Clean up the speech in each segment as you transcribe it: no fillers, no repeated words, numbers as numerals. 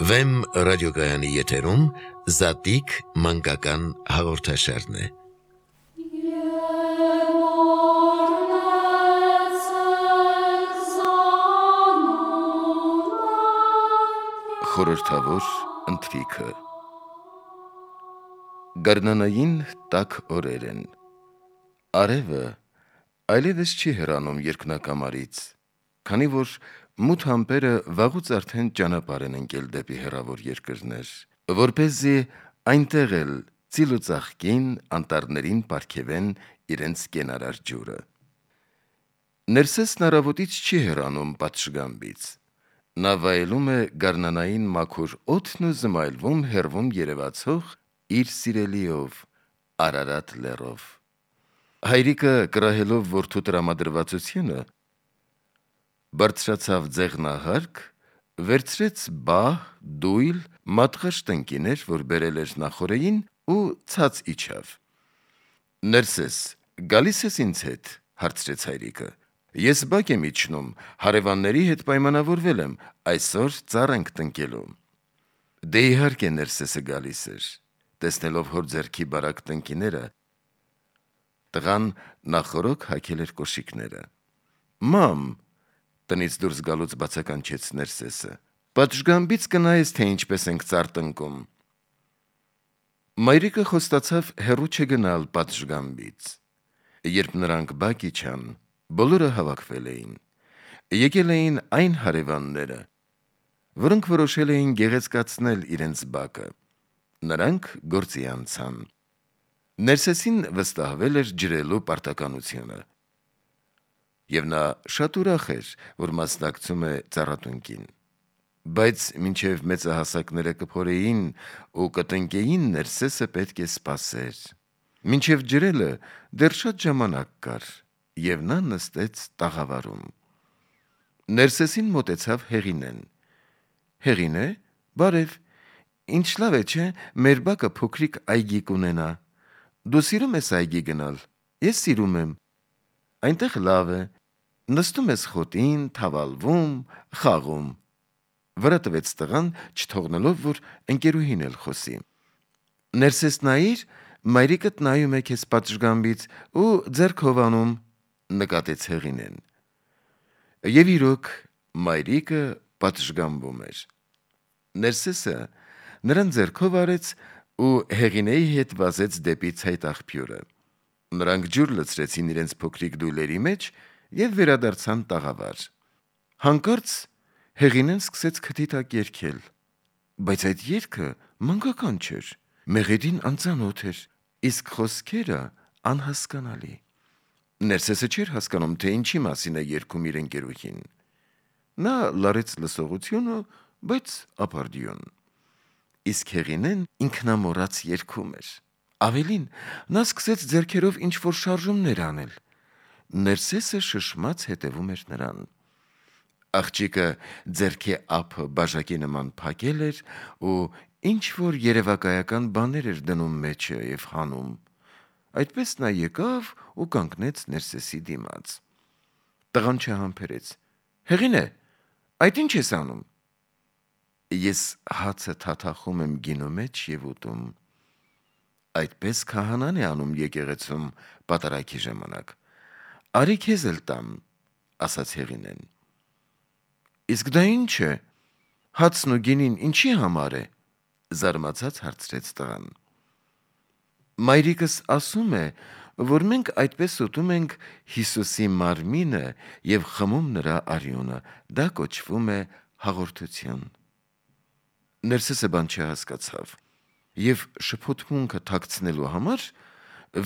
Վեմ ռադիոգայանի եթերում Զատիկ մանկական հաղորդաշարն է։ Խորհրդավոր ընթրիքը։ Գարնանային տաք օրեր են։ Արևը այլևս չի հեռանում երկնակամարից, քանի որ մութ ամպերը վաղուց արդեն ճանապարհ են ընկել դեպի հեռավոր երկրներ, որպեսզի այնտեղ էլ ծիլ ու ծաղկին անտառներին պարգևեն իրենց կենարար ջուրը։ Ներսեսն առավոտից չի հեռանում պատշգամբից։ Նա վայելում է գարնանային մաքուր օդն ու զմայլվում հեռվում երևացող իր սիրելիով, Արարատ լեռով։ Հայրիկը կռահելով որդու տրամադրվածությունը բարձրացավ ձեղնահարկ, վերցրեց բահ, դույլ, մատղաշ տնկիներ, որ բերել էր նախօրեին, ու ցած իջավ։ Ներսես, գալի՞ս ես ինձ հետ, հարցրեց հայրիկը։ Ես բակ եմ իջնում, հարևանների հետ պայմանավորվել եմ, այսօր ծառ ենք տնկելու։ Դե իհարկե Ներսեսը գալիս էր, տեսնելով հոր ձեռքի բարակ տնկիները, տղան նախօրոք հագել էր կոշիկները։ Մամ, տնից դուրս գալուց բացականչեց Ներսեսը, պատշգամբից կնայես, թե ինչպես ենք ծառ տնկում։ Մայրիկը խոստացավ հեռու չգնալ պատշգամբից։ Երբ նրանք բակ իջան, բոլորը հավաքվել էին։ Եկել էին այն հարևանները, որոնք որոշել էին գեղեցկացնել իրենց բակը։ Նրանք գործի անցան։ Ներսեսին վստահվել էր ջրելու պարտականությունը, և նա շատ ուրախ էր, որ մասնակցում է ծառատնկին։ Բայց մինչև մեծահասակները կփորեին ու կտնկեին, Ներսեսը պետք է սպասեր։ Մինչև ջրելը դեռ շատ ժամանակ կար, և նա նստեց տաղավարում։ Ներսեսին մոտեցավ Հեղինեն։ Հեղինե, բարև, ինչ լավ է, չէ՞, մեր բակը փոքրիկ այգի կունենա։ Դու սիրում ես այգի գնալ։ Ես սիրում եմ։ Այնտեղ լավ է, նստում ես խոտին, թավալվում, խաղում, վրա տվեց տղան, չթողնելով, որ ընկերուհին էլ խոսի։ Ներսես նայիր, մայրիկդ նայում է քեզ պատշգամբից ու ձեռք հովանում, նկատեց Հեղինեն։ Եվ իրոք, մայրիկը պատշգամբում էր։ Ներսեսը նրան ձեռքով արեց ու Հեղինեի հետ վազեց դեպի ցայտաղբյուրը։ Նրանք ջուր լցրեցին իրենց փոքրիկ դույլերի մեջ և վերադարձան տաղավար։ Հանկարծ Հեղինեն սկսեց քթի տակ երգել, բայց այդ երգը մանկական չէր, մեղեդին անծանոթ էր, իսկ խոսքերը անհասկանալի։ Ներսեսը չէր հասկանում, թե ինչի մասին է երգում իր ընկերուհին։ Նա լարեց լսողությունը, բայց ապարդյուն։ Իսկ Հեղինեն ինքնամոռաց երգում էր։ Ավելին, նա սկսեց ձեռքերով ինչ-որ շարժումներ անել։ Ներսեսը շշմած հետևում էր նրան։ Աղջիկը ձեռքի ափը բաժակի նման փակել էր ու ինչ-որ երևակայական բաներ էր դնում մեջը և հանում։ Այդպես նա եկավ ու կանգնեց Ներսեսի դիմաց։ Տղան չհամբերեց. Հեղինե, այդ ինչ ես անում։ Ես հացը թաթախում եմ գինու մեջ և ուտում։ Այդպես քահանան է անում եկեղեցում պատարագի ժամանակ։ Արի քեզ էլ տամ, ասաց Հեղինեն։ Իսկ դա ինչ է, հացն ու գինին ինչի համար է, զարմացած հարցրեց տղան։ Մայրիկս ասում է, որ մենք այդպես ուտում ենք Հիսուսի մարմինը և խմում նրա արյունը, դա կոչվում է հաղորդություն։ Ներսեսը բան չհասկացավ և շփոթմունքը թաքցնելու համար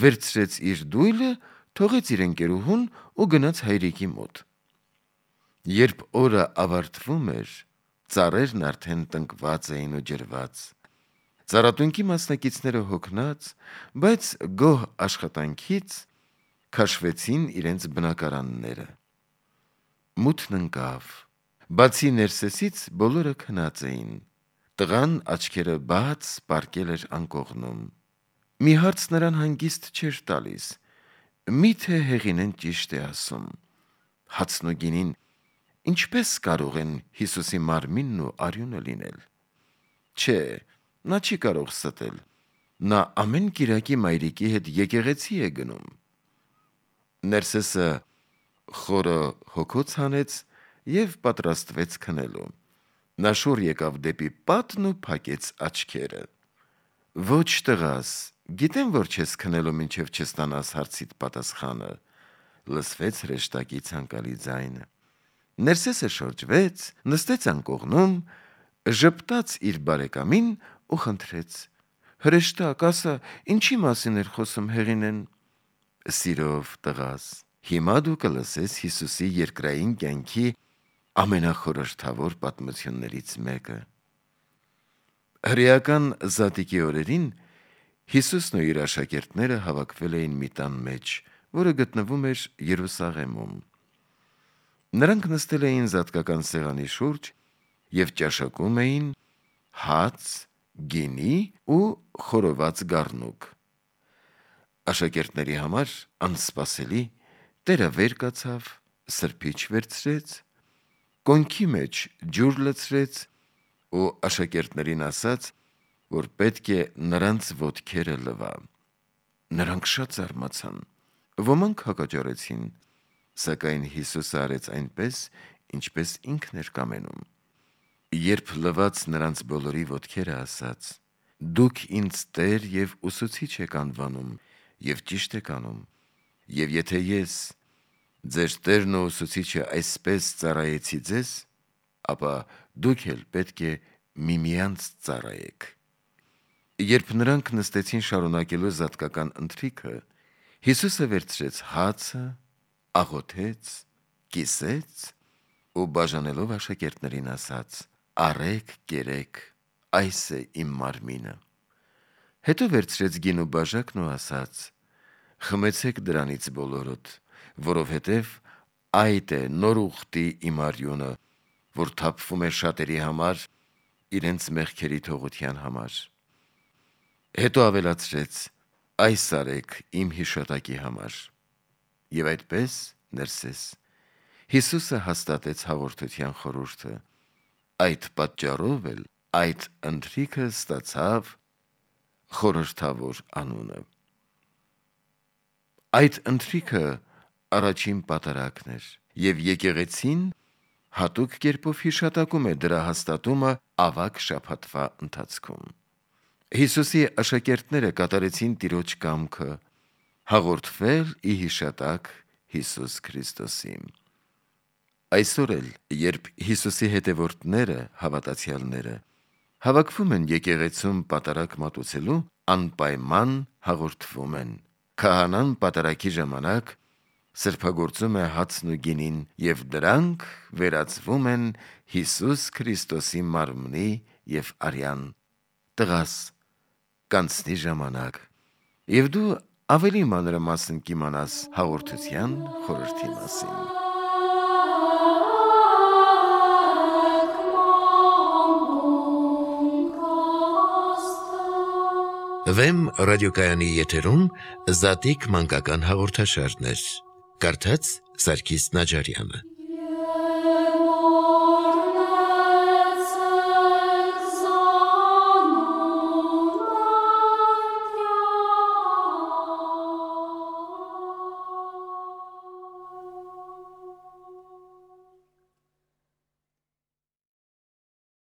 վերցրեց իր դույլը, թողեց իր ընկերուհուն ու գնաց հայրիկի մոտ։ Երբ օրը ավարտվում էր, ծառերն արդեն տնկված էին ու ջրված։ Ծառատնկի մասնակիցները հոգնած, բայց գոհ աշխատանքից քաշվեցին իրենց բնակարանները։ Մութն ընկավ։ Բացի Ներսեսից բոլորը քնած էին։ Տղան աչքերը բաց պառկել էր անկողնում։ Մի հարց նրան հանգիստ չէր տալիս. միթե Հեղինեն ճիշտ է ասում։ Հացն ու գինին ինչպես կարող են Հիսուսի մարմինն ու արյունը լինել։ Չէ, նա չի կարող ստել։ Նա ամեն կիրակի մայրիկի հետ եկեղեցի է գնում։ Ներսեսը խորը հոգոց հանեց և պատրաստվեց քնելու։ Նա շուռ եկավ դեպի պատն ու փակեց աչքերը։ Ոչ տղաս, գիտեմ, որ չես քնելու մինչև չստանաս հարցիդ պատասխանը, լսվեց հրեշտակի ցանկալի ձայնը։ Ներսեսը շրջվեց, նստեց անկողնում, ժպտաց իր բարեկամին ու խնդրեց. «Հրեշտակ, ասա, ինչի մասին էր խոսում Հեղինեն»։ Սիրով, տղաս, հիմա դու կլսես Հիսուսի երկրային կյանքի ամենախորհրդավոր պատմություններից մեկը։ Հրեական Զատիկի օրերին Հիսուսն ու իր աշակերտները հավաքվել էին մի տան մեջ, որը գտնվում էր Երուսաղեմում։ Նրանք նստել էին զատկական սեղանի շուրջ և ճաշակում էին հաց, գինի ու խորոված գառնուկ։ Աշակերտների համար անսպասելի Տերը վեր կացավ, սրբիչ վերցրեց, կոնքի մեջ ջուր լցրեց ու աշակերտներին ասաց, որ պետք է նրանց ոտքերը լվա։ Նրանք շատ զարմացան, ոմանք հակաճառեցին, սակայն Հիսուսը արեց այնպես, ինչպես ինքն էր կամենում։ Երբ լվաց նրանց բոլորի ոտքերը, ասաց. «Դուք ինձ Տեր և Ուսուցիչ եք անվանում, և ճիշտ եք անում, և եթե ես, ձեր Տերն ու Ուսուցիչը, այսպես ծառայեցի ձեզ, ապա դուք էլ պետք է միմյանց ծառայեք»։ Երբ նրանք նստեցին շարունակելու զատկական ընթրիքը, Հիսուսը վերցրեց հացը, աղոթեց, կիսեց ու բաժանելով աշակերտներին ասաց. «Առեք, կերեք, այս է իմ մարմինը»։ Հետո վերցրեց գինու բաժակն ու ասաց. «Խմեցեք դրանից բոլորդ, որովհետև այդ է նոր ուխտի իմ արյունը, որ թափվում է շատերի համար իրենց մեղքերի թողության համար»։ Հետո ավելացրեց. «Այս արեք իմ հիշատակի համար»։ Եվ այդպես, Ներսես, Հիսուսը հաստատեց հաղորդության խորհուրդը։ Այդ պատճառով էլ այդ ընթրիքը ստացավ խորհրդավոր անունը։ Այդ ընթրիքը առաջին պատարագն էր, և եկեղեցին հատուկ կերպով հիշատակում է դրա հաստատումը ավագ շաբաթվա ընթացքում։ Հիսուսի աշակերտները կատարեցին Տիրոջ կամքը հաղորդվել ի հիշատակ Հիսուս Քրիստոսի։ Այսօր էլ, երբ Հիսուսի հետևորդները, հավատացյալները, հավաքվում են եկեղեցում պատարագ մատուցելու, անպայման հաղորդվում են։ Քահանան պատարագի ժամանակ սրբագործում է հացն ու գինին, և դրանք վերածվում են Հիսուս Քրիստոսի մարմնի և արյան։ Տղաս, կանցնի ժամանակ, և դու ավելի մանրամասն կիմանաս հաղորդության խորհրդի մասին։ Վեմ ռադիոկայանի եթերում Զատիկ մանկական հաղորդաշարներ։ Կարդաց Սարգիս Նաջարյանը։